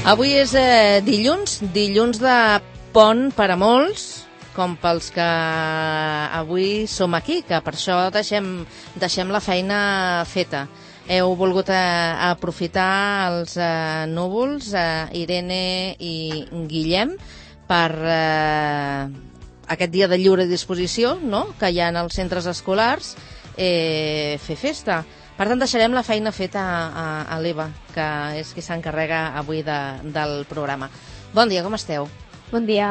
Avui és dilluns de pont per a molts, com pels que avui som aquí, que per això deixem la feina feta. Heu volgut aprofitar els núvols, Irene i Guillem, per aquest dia de lliure disposició, no?, que hi ha als centres escolars, fer festa. Per tant, deixarem la feina feta a l'Eva, que és qui s'encarrega avui del programa. Bon dia, com esteu? Bon dia.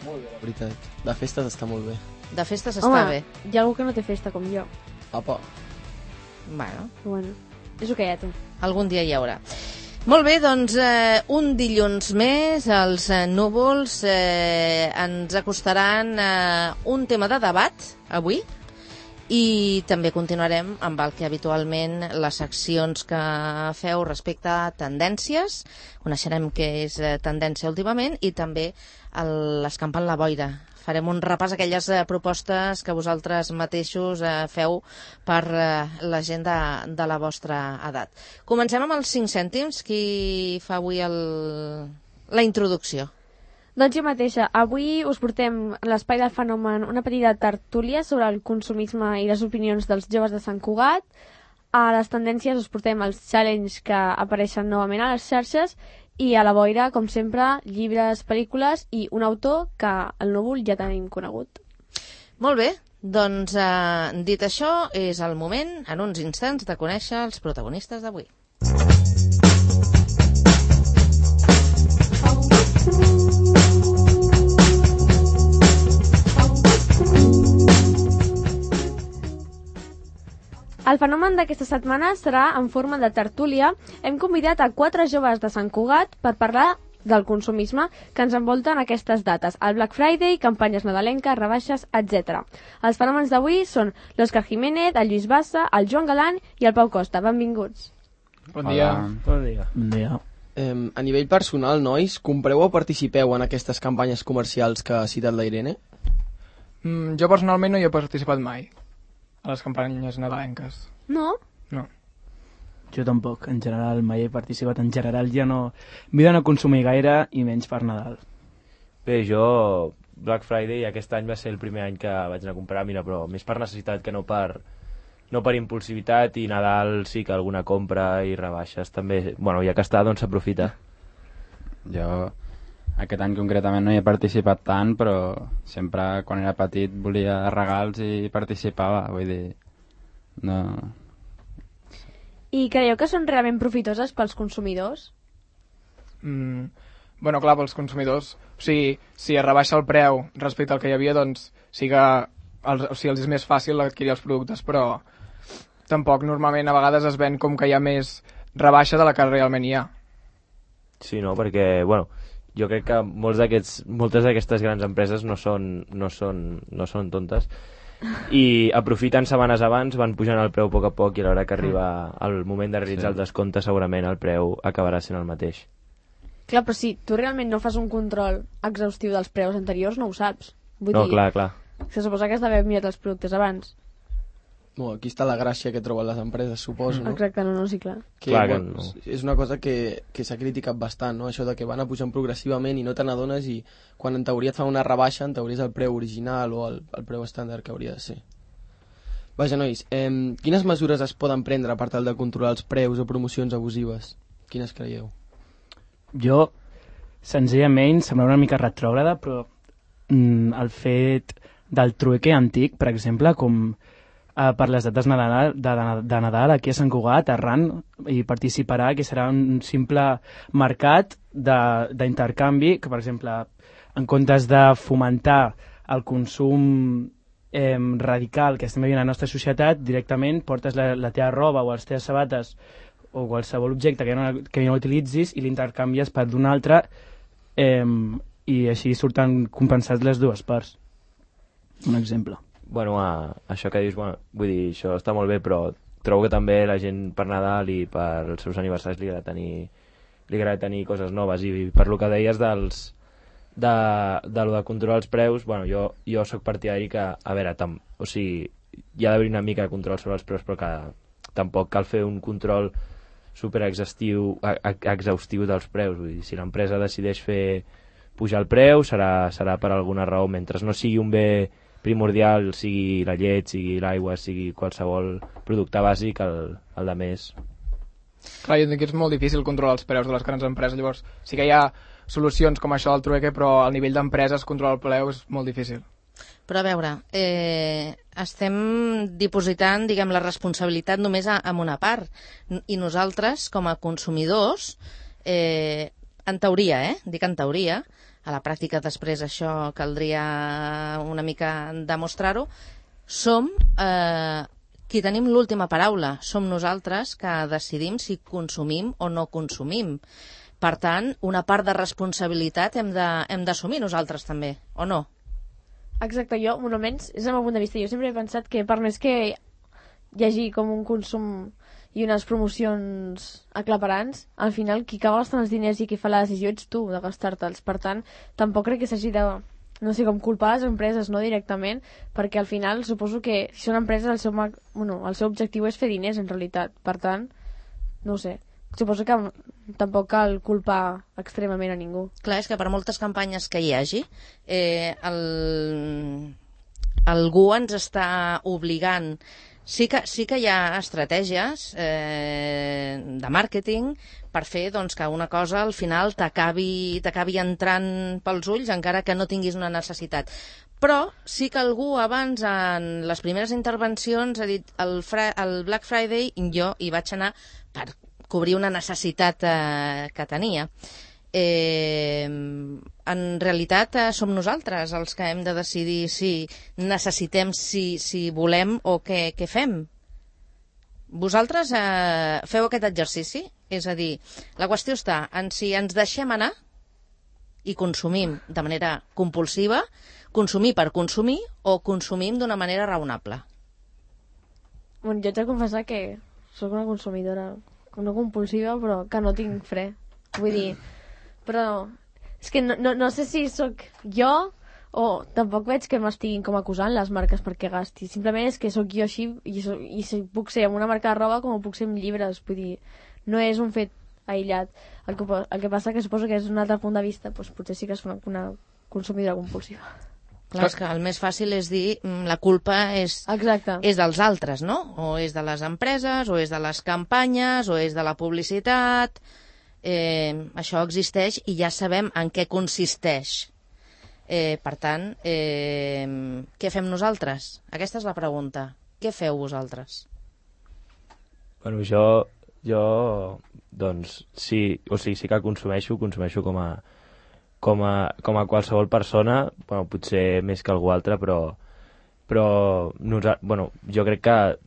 Molt bé, la veritat. De festes està molt bé. De festes està bé. Hi ha algú que no té festa com jo. Apa. Bueno, és el que hi ha, tu. Algun dia hi haurà. Molt bé, doncs un dilluns més, els núvols ens acostaran un tema de debat avui, i també continuarem amb el que habitualment les seccions que feu respecte a tendències. Coneixerem què és tendència últimament i també l'escampant la boira. Farem un repàs a aquelles propostes que vosaltres mateixos feu per la gent de la vostra edat. Comencem amb els 5 cèntims. Qui fa avui la introducció? Doncs jo mateixa. Avui us portem a l'Espai del Fenomen una petita tertúlia sobre el consumisme i les opinions dels joves de Sant Cugat. A les tendències us portem els challenges que apareixen novament a les xarxes i a la boira, com sempre, llibres, pel·lícules i un autor que el núvol ja tenim conegut. Molt bé, doncs dit això, és el moment, en uns instants, de conèixer els protagonistes d'avui. El fenomen d'aquesta setmana serà en forma de tertúlia. Hem convidat a 4 joves de Sant Cugat per parlar del consumisme que ens envolta en aquestes dates. El Black Friday, campanyes nadalenques, rebaixes, etc. Els fenòmens d'avui són l'Òscar Jiménez, el Lluís Bassa, el Joan Galant i el Pau Costa. Benvinguts. Bon dia. Bon dia. A nivell personal, nois, compreu o participeu en aquestes campanyes comercials que ha citat la Irene? Jo personalment no hi he participat mai a les campanyes nadalenques. No? No. Jo tampoc, en general, mai he participat. En general ja no... M'he de no consumir gaire i menys per Nadal. Bé, jo Black Friday aquest any va ser el primer any que vaig anar a comprar, mira, però més per necessitat que no per impulsivitat, i Nadal sí que alguna compra i rebaixes també, bueno, ja que està, doncs s'aprofita. Jo aquest any concretament no hi he participat tant, però sempre quan era petit volia regals i participava, vull dir, no... I creieu que són realment profitoses pels consumidors? Bueno, clar, pels consumidors, o sigui, si es rebaixa el preu respecte al que hi havia, doncs sí que els és més fàcil adquirir els productes, però tampoc normalment a vegades es ven com que hi ha més rebaixa de la que realment hi ha. Sí, no, perquè, bueno, jo crec que moltes d'aquestes grans empreses no són tontes i aprofiten setmanes abans, van pujant el preu a poc i a l'hora que arriba el moment de realitzar el descompte segurament el preu acabarà sent el mateix. Clar, però si tu realment no fas un control exhaustiu dels preus anteriors no ho saps. Vull dir, clar. Se suposa que has d'haver mirat els productes abans. Bueno, aquí està la gràcia que troben les empreses, suposo, no? Exacte, no, sí, clar. Clar que bueno, no. És una cosa que s'ha criticat bastant, no? Això de que van a pujant progressivament i no te n'adones, i quan en teoria et fa una rebaixa, en teoria és el preu original o el preu estàndard que hauria de ser. Vaja, nois, quines mesures es poden prendre per tal de controlar els preus o promocions abusives? Quines creieu? Jo, senzillament, sembla una mica retrògrada, però el fet del trueque antic, per exemple, com per les dates de Nadal aquí a Sant Cugat, Arran hi participarà, que serà un simple mercat d'intercanvi, que per exemple, en comptes de fomentar el consum radical que estem veient a la nostra societat, directament portes la teva roba o les teves sabates o qualsevol objecte que no utilitzis i l'intercanvies per d'un altre, i així surten compensats les dues parts. Un exemple. Bueno, això que dius, bueno, vull dir, això està molt bé, però trobo que també la gent per Nadal i per els seus aniversaris li agrada tenir coses noves, i per lo que deies de lo de controlar els preus, bueno, jo soc partidari que, a veure, o sigui, hi ha d'haver una mica de control sobre els preus, però que tampoc cal fer un control super exhaustiu dels preus. Vull dir, si l'empresa decideix pujar el preu serà per alguna raó, mentre no sigui un bé primordial, sigui la llet, sigui l'aigua, sigui qualsevol producte bàsic, el de més. Clar, jo dic que és molt difícil controlar els preus de les grans empreses, llavors sí que hi ha solucions com això del trueque, però al nivell d'empreses controlar el preu és molt difícil. Però a veure, estem dipositant, diguem, la responsabilitat només en una part, i nosaltres, com a consumidors, en teoria, dic en teoria, a la pràctica després això caldria una mica demostrar-ho, som qui tenim l'última paraula, som nosaltres que decidim si consumim o no consumim. Per tant, una part de responsabilitat hem d'assumir nosaltres també, o no? Exacte, jo, almenys, és el meu punt de vista. Jo sempre he pensat que per més que hi hagi com un consum i unes promocions aclaparants, al final qui acaba gastant els diners i qui fa la decisió ets tu de gastar-te'ls. Per tant, tampoc crec que s'hagi de, no sé, com culpar les empreses, no directament, perquè al final suposo que si són empreses el seu objectiu és fer diners en realitat. Per tant, no ho sé. Suposo que tampoc cal culpar extremament a ningú. Clar, és que per moltes campanyes que hi hagi, algú ens està obligant. Sí que hi ha estratègies de màrqueting per fer doncs, que una cosa al final t'acabi entrant pels ulls encara que no tinguis una necessitat. Però sí que algú abans, en les primeres intervencions, ha dit el Black Friday jo hi vaig anar per cobrir una necessitat que tenia. En realitat som nosaltres els que hem de decidir si necessitem, si volem o què fem. Vosaltres feu aquest exercici? És a dir, la qüestió està en si ens deixem anar i consumim de manera compulsiva, consumir per consumir o consumim d'una manera raonable. Bueno, jo haig de confessar que sóc una consumidora no compulsiva, però que no tinc fre. Vull dir, però és que no sé si sóc jo o tampoc veig que m'estiguin com acusant les marques perquè gasti. Simplement és que sóc jo així i si puc ser amb una marca de roba com ho puc ser amb llibres. Vull dir, no és un fet aïllat. El que passa que suposo que és un altre punt de vista, doncs potser sí que és una consumidora compulsiva. Clar, és que el més fàcil és dir la culpa és dels altres, no? O és de les empreses, o és de les campanyes, o és de la publicitat. Això existeix i ja sabem en què consisteix. Per tant, què fem nosaltres? Aquesta és la pregunta. Què feu vosaltres? Bueno, jo doncs, sí que consumeixo com a qualsevol persona, bueno, potser més que algú altre, però jo crec que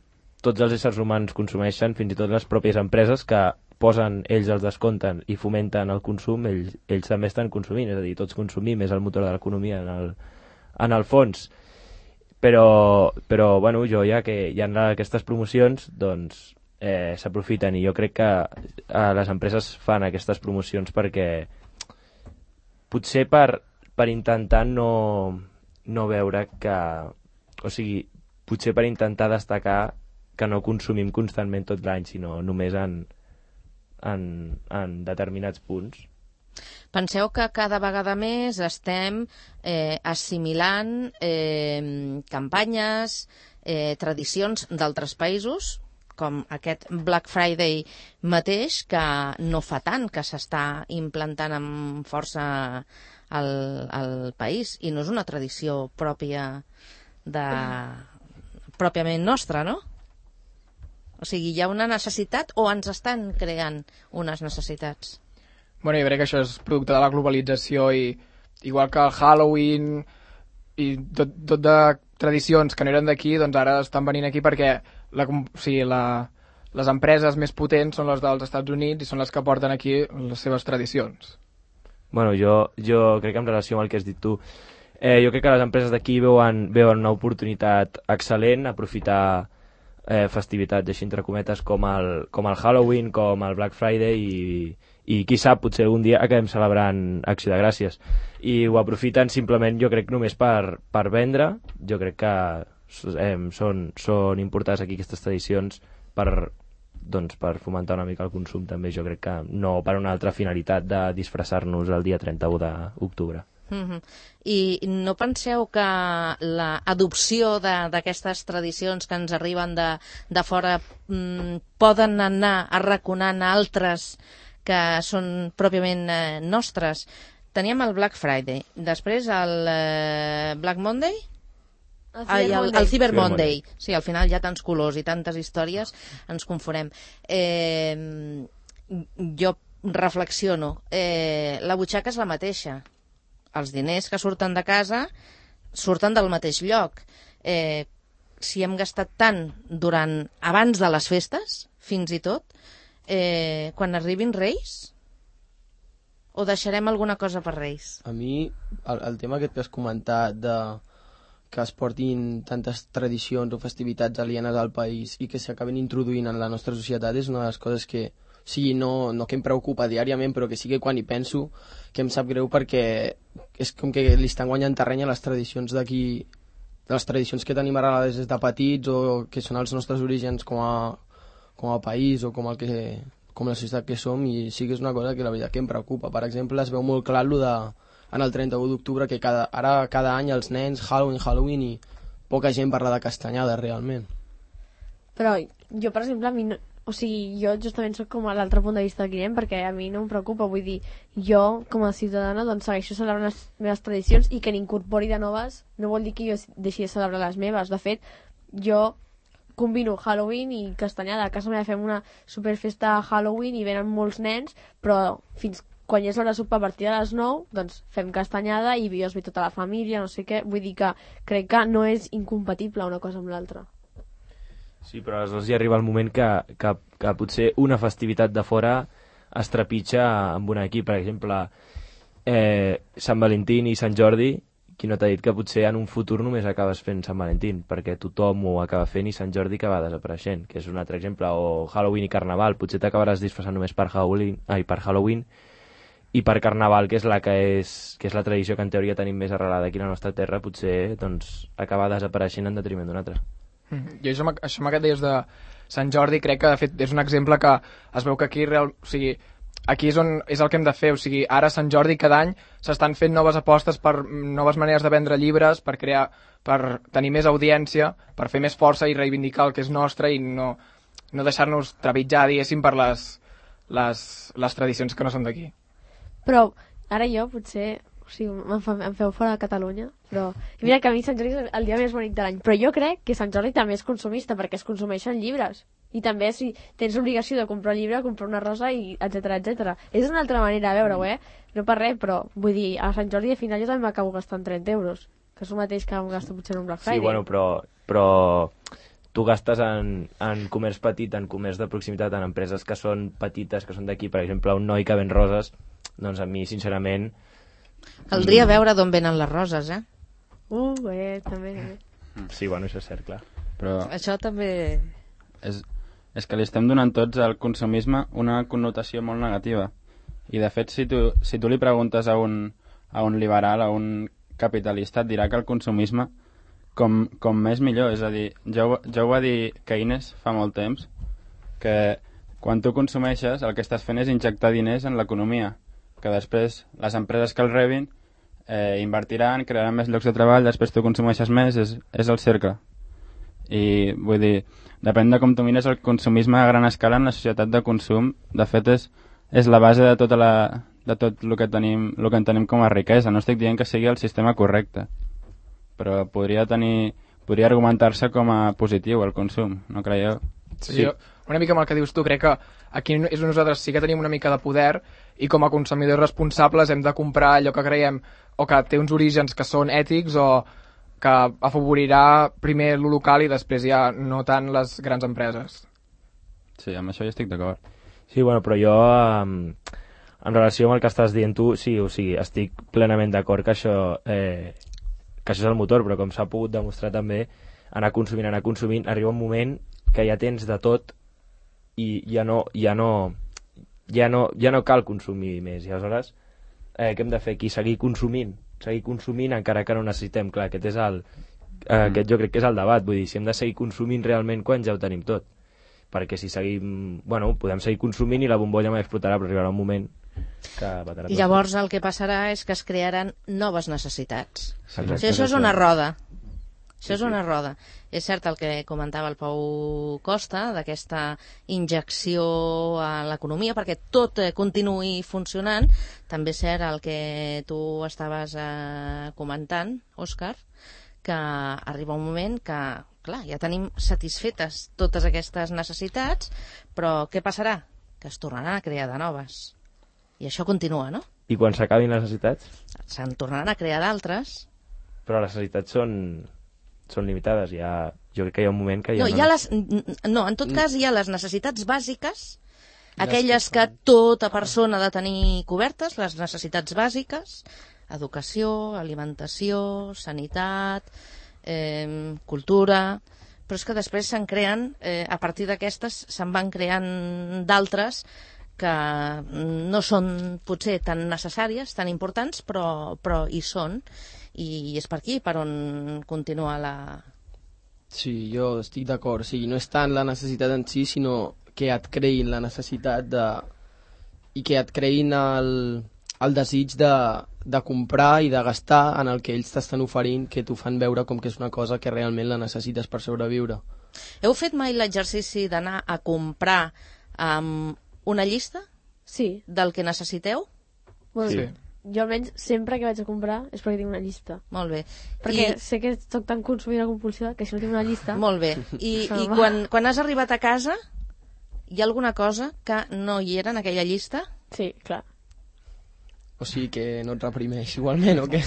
tots els éssers humans consumeixen, fins i tot les pròpies empreses que posen, ells els descompten i fomenten el consum, ells també estan consumint, és a dir, tots consumim, és el motor de l'economia en el fons. Però bueno, ja que hi ha aquestes promocions, doncs s'aprofiten, i jo crec que les empreses fan aquestes promocions perquè potser per intentar no veure que, o sigui, potser per intentar destacar que no consumim constantment tot l'any, sinó només en determinats punts. Penseu que cada vegada més estem assimilant campanyes, tradicions d'altres països, com aquest Black Friday mateix, que no fa tant que s'està implantant amb força al país, i no és una tradició pròpiament nostra, no? O sigui, hi ha una necessitat o ens estan creant unes necessitats? Bueno, jo crec que això és producte de la globalització, i igual que el Halloween i tot de tradicions que no eren d'aquí, doncs ara estan venint aquí perquè les empreses més potents són les dels Estats Units i són les que porten aquí les seves tradicions. Bueno, jo crec que en relació amb el que has dit tu, jo crec que les empreses d'aquí veuen una oportunitat excel·lent, aprofitar festivitats, així entre cometes, com el Halloween, com el Black Friday, i qui sap, potser algun dia acabem celebrant Acció de Gràcies. I ho aprofiten simplement, jo crec, només per vendre. Jo crec que són importades aquí aquestes tradicions per doncs per fomentar una mica el consum també, jo crec que no per una altra finalitat de disfressar-nos el dia 31 d'octubre. I no penseu que l'adopció d'aquestes tradicions que ens arriben de fora poden anar arraconant altres que són pròpiament nostres? Teníem el Black Friday, després el Black Monday? El Cyber Monday. Sí, al final hi ha tants colors i tantes històries, ens confonem. Jo reflexiono. La butxaca és la mateixa. Els diners que surten de casa surten del mateix lloc. Si hem gastat tant abans de les festes, fins i tot, quan arribin Reis, o deixarem alguna cosa per Reis? A mi, el tema aquest que has comentat que es portin tantes tradicions o festivitats alienes al país i que s'acaben introduint en la nostra societat és una de les coses que, no que em preocupa diàriament, però que sí que quan hi penso que em sap greu, perquè és com que li estan guanyant terreny a les tradicions d'aquí, de les tradicions que tenim arrelades des de petits o que són els nostres orígens com a país o com la societat que som, i sí que és una cosa que la veritat que em preocupa. Per exemple, es veu molt clar en el 31 d'octubre que cada any els nens Halloween i poca gent parla de castanyada realment. Però jo, per exemple, a mi no, jo justament soc com a l'altre punt de vista del Guillem, perquè a mi no em preocupa, vull dir, jo com a ciutadana doncs segueixo celebrant les meves tradicions, i que n'incorpori de noves no vol dir que jo deixi de celebrar les meves. De fet, jo combino Halloween i castanyada. A casa meva fem una superfesta Halloween i venen molts nens, però fins quan ja és l'hora de sopar a partir de les 9, doncs fem castanyada i jo es ve tota la família, no sé què. Vull dir que crec que no és incompatible una cosa amb l'altra. Sí, però aleshores ja arriba el moment que potser una festivitat de fora es trepitja amb una aquí. Per exemple, Sant Valentín i Sant Jordi, qui no t'ha dit que potser en un futur només acabes fent Sant Valentín, perquè tothom ho acaba fent i Sant Jordi acaba desapareixent, que és un altre exemple. O Halloween i Carnaval, potser t'acabaràs disfressant només per Halloween i per Carnaval, que és la tradició que en teoria tenim més arrelada aquí a la nostra terra, potser doncs, acaba desapareixent en detriment d'una altra. Jo això amb aquest deies de Sant Jordi crec que de fet és un exemple que es veu que aquí aquí és on és el que hem de fer. O sigui, ara a Sant Jordi cada any s'estan fent noves apostes per noves maneres de vendre llibres, per tenir més audiència, per fer més força i reivindicar el que és nostre i no deixar-nos trepitjar, diguéssim, per les tradicions que no són d'aquí. Però ara jo potser em feu fora de Catalunya, però mira que a mi Sant Jordi és el dia més bonic de l'any, però jo crec que Sant Jordi també és consumista, perquè es consumeixen llibres, i també si tens l'obligació de comprar un llibre, comprar una rosa, i etc. És una altra manera de veure-ho, no per res, però vull dir, a Sant Jordi al final jo també m'acabo gastant 30 euros, que és el mateix que em gasto potser en un Black Friday. Sí, bueno, però tu gastes en comerç petit, en comerç de proximitat, en empreses que són petites, que són d'aquí, per exemple, un noi que ven roses, doncs a mi, sincerament... Caldria veure d'on venen les roses, també. Sí, bueno, això és cert, clar. Però això també... És que li estem donant tots al consumisme una connotació molt negativa. I, de fet, si tu li preguntes a un liberal, a un capitalista, et dirà que el consumisme, com més millor. És a dir, ja ho va dir Keynes fa molt temps, que quan tu consumeixes el que estàs fent és injectar diners en l'economia, que després les empreses que el rebin invertiran, crearan més llocs de treball, després tu consumeixes més, és el cercle. I vull dir, depèn de com tu mires el consumisme a gran escala en la societat de consum, de fet és la base de tot el que en tenim com a riquesa. No estic dient que sigui el sistema correcte, però podria argumentar-se com a positiu el consum, no creieu? Sí. Una mica amb el que dius tu, crec que aquí nosaltres sí que tenim una mica de poder i com a consumidors responsables hem de comprar allò que creiem o que té uns orígens que són ètics o que afavorirà primer lo local i després ja no tant les grans empreses. Sí, amb això ja estic d'acord. Sí, bueno, però jo en relació amb el que estàs dient tu, sí, o sigui, estic plenament d'acord que això és el motor, però com s'ha pogut demostrar també, anar consumint, arriba un moment que ja tens de tot i ja no cal consumir més. I aleshores, què hem de fer aquí? Seguir consumint encara que no necessitem. Clar, aquest jo crec que és el debat. Vull dir, si hem de seguir consumint realment quan ja ho tenim tot. perquè si seguim... Bueno, podem seguir consumint i la bombolla mai explotarà, però arribarà un moment que batarà tot. Llavors el que passarà és que es crearan noves necessitats. Exacte, O sigui, això és una roda. Això és Sí. una roda. És cert el que comentava el Pau Costa, d'aquesta injecció a l'economia, perquè tot continuï funcionant. També és cert el que tu estaves comentant, Òscar, que arriba un moment que, clar, ja tenim satisfetes totes aquestes necessitats, però què passarà? Que es tornaran a crear de noves. I això continua, no? I quan s'acabin les necessitats? Se'n tornaran a crear d'altres. Però les necessitats són limitades. Jo crec que hi ha un moment que ja No, en tot cas hi ha les necessitats bàsiques, aquelles que tota persona ha de tenir cobertes, les necessitats bàsiques, educació, alimentació, sanitat, cultura, però és que després se'n creen, a partir d'aquestes se'n van creant d'altres que no són potser tan necessàries, tan importants, però hi són, i és per aquí per on continua la... Sí, jo estic d'acord. O sigui, no és tant la necessitat en si, sinó que et creïn la necessitat i que et creïn el desig de comprar i de gastar en el que ells t'estan oferint, que t'ho fan veure com que és una cosa que realment la necessites per sobreviure. Heu fet mai l'exercici d'anar a comprar amb una llista Sí. del que necessiteu? Bueno, Sí. jo almenys sempre que vaig a comprar és perquè tinc una llista. Molt bé. Perquè sé que soc tan consumidora compulsiva que si no tinc una llista... Molt bé. I quan has arribat a casa, hi ha alguna cosa que no hi era en aquella llista? Sí, clar. O sigui que no et reprimeix igualment, o què?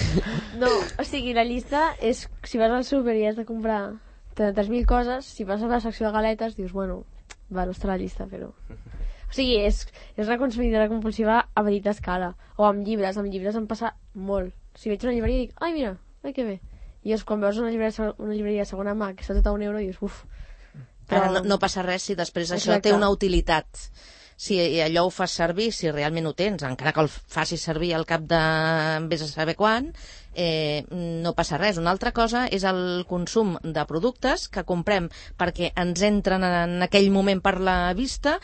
No, o sigui, la llista és... Si vas al súper i has de comprar 3.000 coses, si vas a la secció de galetes, dius, bueno, va, no està a la llista, però... O sigui, és una consumidora compulsiva a petita escala. O amb llibres em passa molt. Si veig una llibreria i dic, ai, mira, ai, que bé. I és quan veus una llibreria de segona mà que està tot a €1 i dius, uf. Ara no passa res si després això Exacte. té una utilitat. Si allò ho fas servir, si realment ho tens, encara que el facis servir al cap de vés a saber quan, no passa res. Una altra cosa és el consum de productes que comprem perquè ens entren en aquell moment per la vista,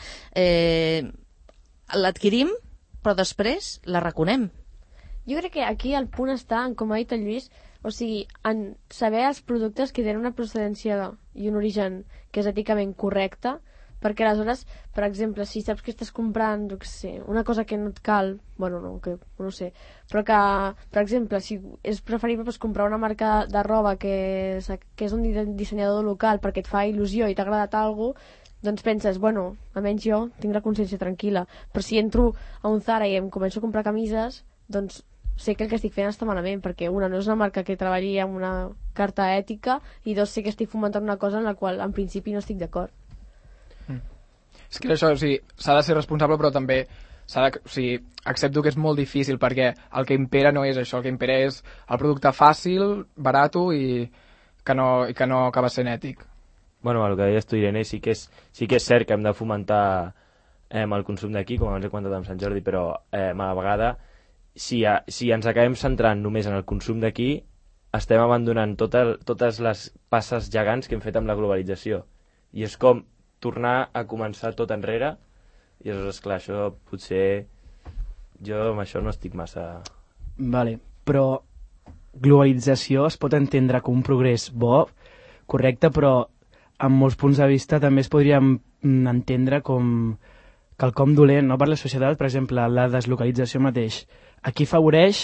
l'adquirim, però després la reconem. Jo crec que aquí el punt està en, com ha dit el Lluís, o sigui, en saber els productes que tenen una procedència i un origen que és èticament correcte, perquè aleshores, per exemple, si saps que estàs comprant, jo què sé, una cosa que no et cal, bueno, no sé, però que, per exemple, si és preferible doncs, comprar una marca de roba que és un dissenyador local perquè et fa il·lusió i t'ha agradat alguna cosa, doncs penses, bueno, almenys jo tinc la consciència tranquil·la, però si entro a un Zara i em començo a comprar camises, doncs sé que el que estic fent està malament, perquè una, no és una marca que treballi amb una carta ètica, i dos, sé que estic fomentant una cosa en la qual en principi no estic d'acord. És que això, o sigui, s'ha de ser responsable, però també o sigui, accepto que és molt difícil, perquè el que impera no és això, el que impera és el producte fàcil, barato i que no acaba sent ètic. Bueno, el que deies tu, Irene, sí que és cert que hem de fomentar el consum d'aquí, com abans he comentat amb Sant Jordi, però a la vegada, si ens acabem centrant només en el consum d'aquí, estem abandonant totes les passes gegants que hem fet amb la globalització. I és com tornar a començar tot enrere, i aleshores, clar, això potser... Jo amb això no estic massa... Vale, però globalització es pot entendre com un progrés bo, correcte, però amb molts punts de vista també es podríem entendre com quelcom dolent, no? Per la societat, per exemple, la deslocalització mateix. Aquí afavoreix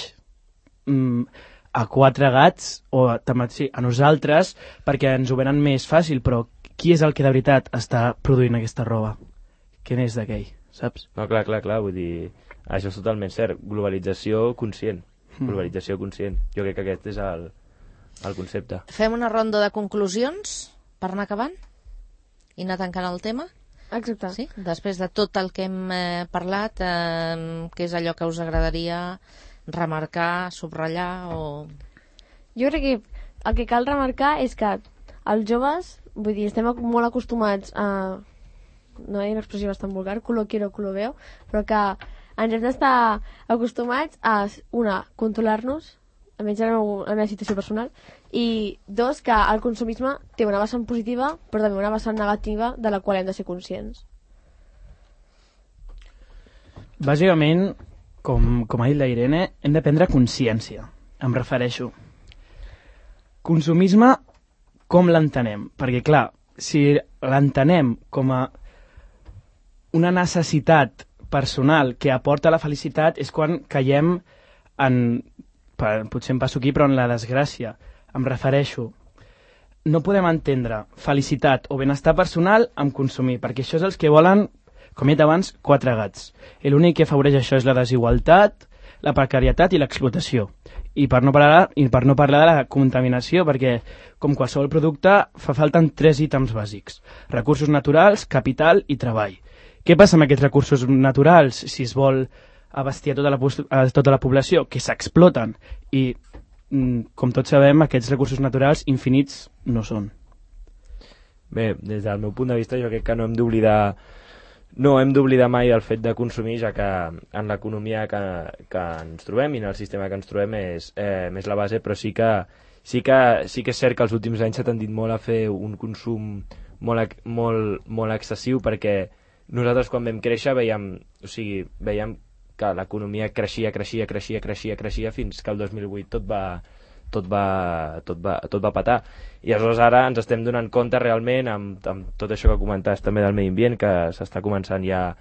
a 4 gats, o sí, a nosaltres, perquè ens ho venen més fàcil, però qui és el que de veritat està produint aquesta roba? Què n'és d'aquell, saps? No, clar, vull dir, això és totalment cert. Globalització conscient. Globalització conscient. Jo crec que aquest és el concepte. Fem una ronda de conclusions per anar acabant i anar tancant el tema? Exacte. Sí? Després de tot el que hem parlat, què és allò que us agradaria remarcar, subratllar o... Jo crec que el que cal remarcar és que els joves, vull dir, estem molt acostumats a, no hi ha una expressió bastant vulgar, culo quiero, culo veo, però que ens hem d'estar acostumats a, una, controlar-nos almenys la meva situació personal, i 2, que el consumisme té una vessant positiva però també una vessant negativa de la qual hem de ser conscients. Bàsicament, com ha dit la Irene, hem de prendre consciència. Em refereixo. Consumisme, com l'entenem? Perquè, clar, si l'entenem com a una necessitat personal que aporta la felicitat, és quan caiem potser em passo aquí, però en la desgràcia. Em refereixo. No podem entendre felicitat o benestar personal amb consumir, perquè això és els que volen, com he dit abans, 4 gats. I l'únic que afavoreix això és la desigualtat, la precarietat i l'explotació. I per no parlar de la contaminació, perquè, com qualsevol producte, fa falten 3 ítems bàsics. Recursos naturals, capital i treball. Què passa amb aquests recursos naturals si es vol abastir a tota la població? Que s'exploten. I, com tots sabem, aquests recursos naturals infinits no són. Bé, des del meu punt de vista, jo crec que no hem d'oblidar mai el fet de consumir, ja que en l'economia que ens trobem i en el sistema que ens trobem és la base, però sí que és cert que els últims anys s'ha tendit molt a fer un consum molt excessiu, perquè nosaltres quan vam créixer veiem que l'economia creixia fins que el 2008 tot va petar. I aleshores ara ens estem donant compte realment amb tot això que comentaves també del medi ambient, que s'està començant ja,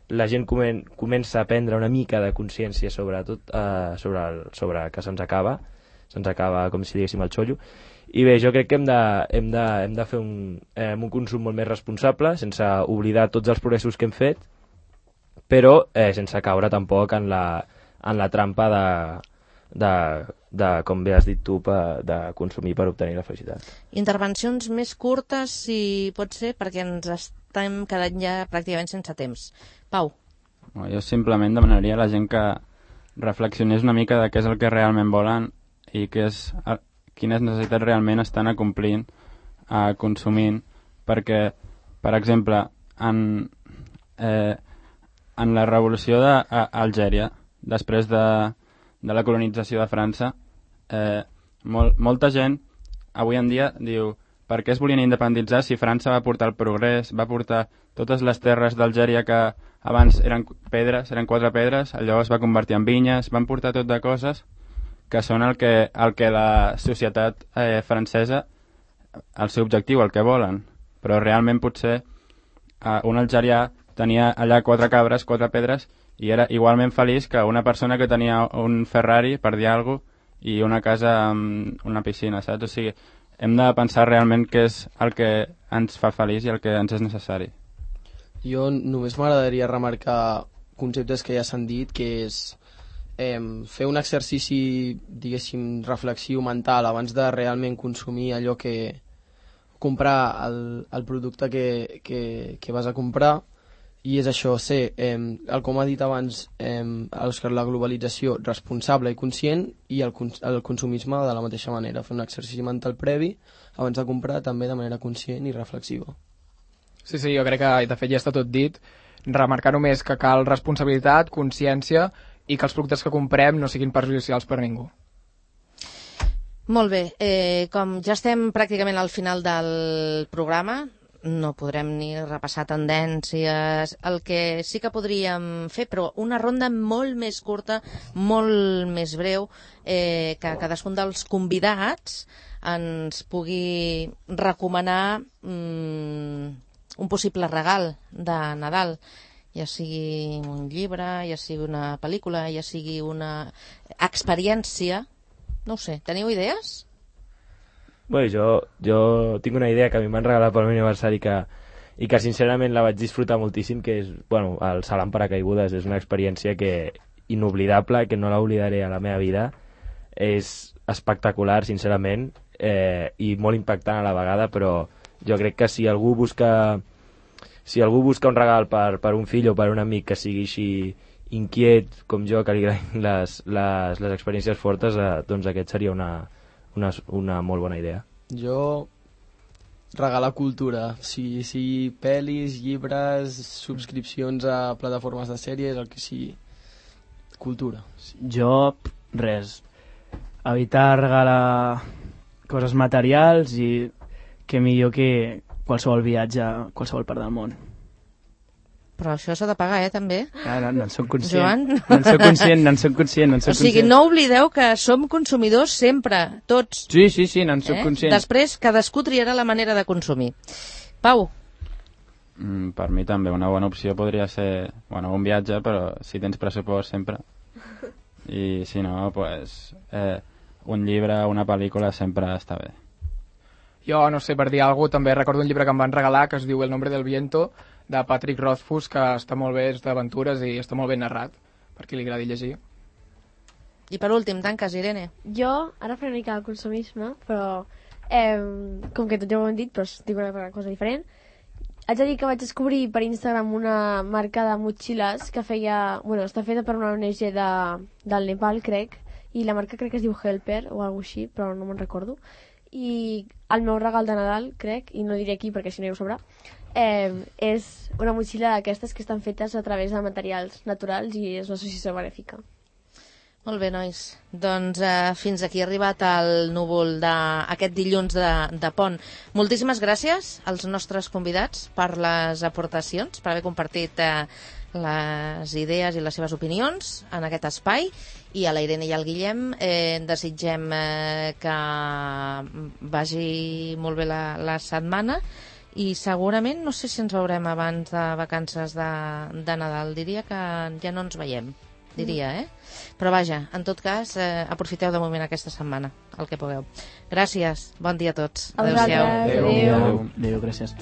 la gent comença a prendre una mica de consciència sobre que se'ns acaba com si diguéssim el xollo. I bé, jo crec que hem de fer un consum molt més responsable, sense oblidar tots els progressos que hem fet, però sense caure tampoc en la trampa de com bé has dit tu, de consumir per obtenir la felicitat. Intervencions més curtes, si pot ser, perquè ens estem quedant ja pràcticament sense temps. Pau. Jo simplement demanaria a la gent que reflexionés una mica de què és el que realment volen i quines necessitats realment estan complint, consumint, perquè, per exemple, en la revolució d'Algèria, després de la colonització de França, molta gent avui en dia diu per què es volien independitzar si França va portar el progrés, va portar totes les terres d'Algèria que abans eren 4 pedres, allò es va convertir en vinyes, van portar tot de coses que són el que la societat francesa, el seu objectiu, el que volen. Però realment potser un algerià tenia allà 4 cabres, 4 pedres, i era igualment feliç que una persona que tenia un Ferrari, per dir alguna cosa, i una casa amb una piscina, saps? O sigui, hem de pensar realment què és el que ens fa feliç i el que ens és necessari. Jo només m'agradaria remarcar conceptes que ja s'han dit, que és fer un exercici, diguéssim, reflexiu mental abans de realment consumir allò que... comprar el producte que vas a comprar, i és això, ser, com ha dit abans Òscar, la globalització responsable i conscient, i el consumisme de la mateixa manera, fer un exercici mental previ abans de comprar, també de manera conscient i reflexiva. Sí, jo crec que de fet ja està tot dit. Remarcar només que cal responsabilitat, consciència i que els productes que comprem no siguin perjudicials per ningú. Molt bé, com ja estem pràcticament al final del programa, no podrem ni repassar tendències, el que sí que podríem fer, però una ronda molt més curta, molt més breu, que cadascun dels convidats ens pugui recomanar un possible regal de Nadal, ja sigui un llibre, ja sigui una pel·lícula, ja sigui una experiència. No ho sé, teniu idees? Bé, jo tinc una idea que a mi m'han regalat pel meu aniversari i que sincerament la vaig disfrutar moltíssim, que és, el salt en paracaigudes. És una experiència inoblidable, que no l'oblidaré a la meva vida. És espectacular, sincerament, i molt impactant a la vegada, però jo crec que si algú busca un regal per un fill o per un amic que sigui així inquiet com jo, que li agradin les experiències fortes, doncs aquest seria una molt bona idea. Jo regalar cultura, sigui pel·lis, llibres, subscripcions a plataformes de sèries, el que sigui, cultura. Jo, res. evitar regalar coses materials i que millor que qualsevol viatge a qualsevol part del món. Però això s'ha de pagar, també. No en soc conscient. Joan? No en soc conscient. O sigui, no oblideu que som consumidors sempre, tots. Sí, no en soc conscient. Després, cadascú triarà la manera de consumir. Pau? Per mi també una bona opció podria ser un viatge, però si tens pressupost sempre. I si no, un llibre, una pel·lícula sempre està bé. Jo, no sé, per dir alguna cosa, també recordo un llibre que em van regalar que es diu El nombre del viento, de Patrick Rothfuss, que està molt bé, és d'aventures i està molt ben narrat, per qui li agradi llegir. I per últim, tanques, Irene. Jo, ara faré una mica de consumisme, però com que tot ja ho hem dit, però dic una cosa diferent. Haig de dir que vaig descobrir per Instagram una marca de motxilles que feia... està feta per una ONG del Nepal, crec, i la marca crec que es diu Helper o alguna així, però no me'n recordo. I el meu regal de Nadal, crec, i no diré aquí perquè si no ja ho sabrà, és una motxilla d'aquestes que estan fetes a través de materials naturals i és una associació benèfica. Molt bé, nois. Doncs fins aquí ha arribat el núvol d'aquest dilluns de pont. Moltíssimes gràcies als nostres convidats per les aportacions, per haver compartit les idees i les seves opinions en aquest espai, i a la Irene i al Guillem desitgem que vagi molt bé la setmana i segurament no sé si ens veurem abans de vacances de Nadal. Diria que ja no ens veiem, però vaja, en tot cas aprofiteu de moment aquesta setmana el que pugueu. Gràcies, bon dia a tots. Adéu-siau. Adéu, gràcies.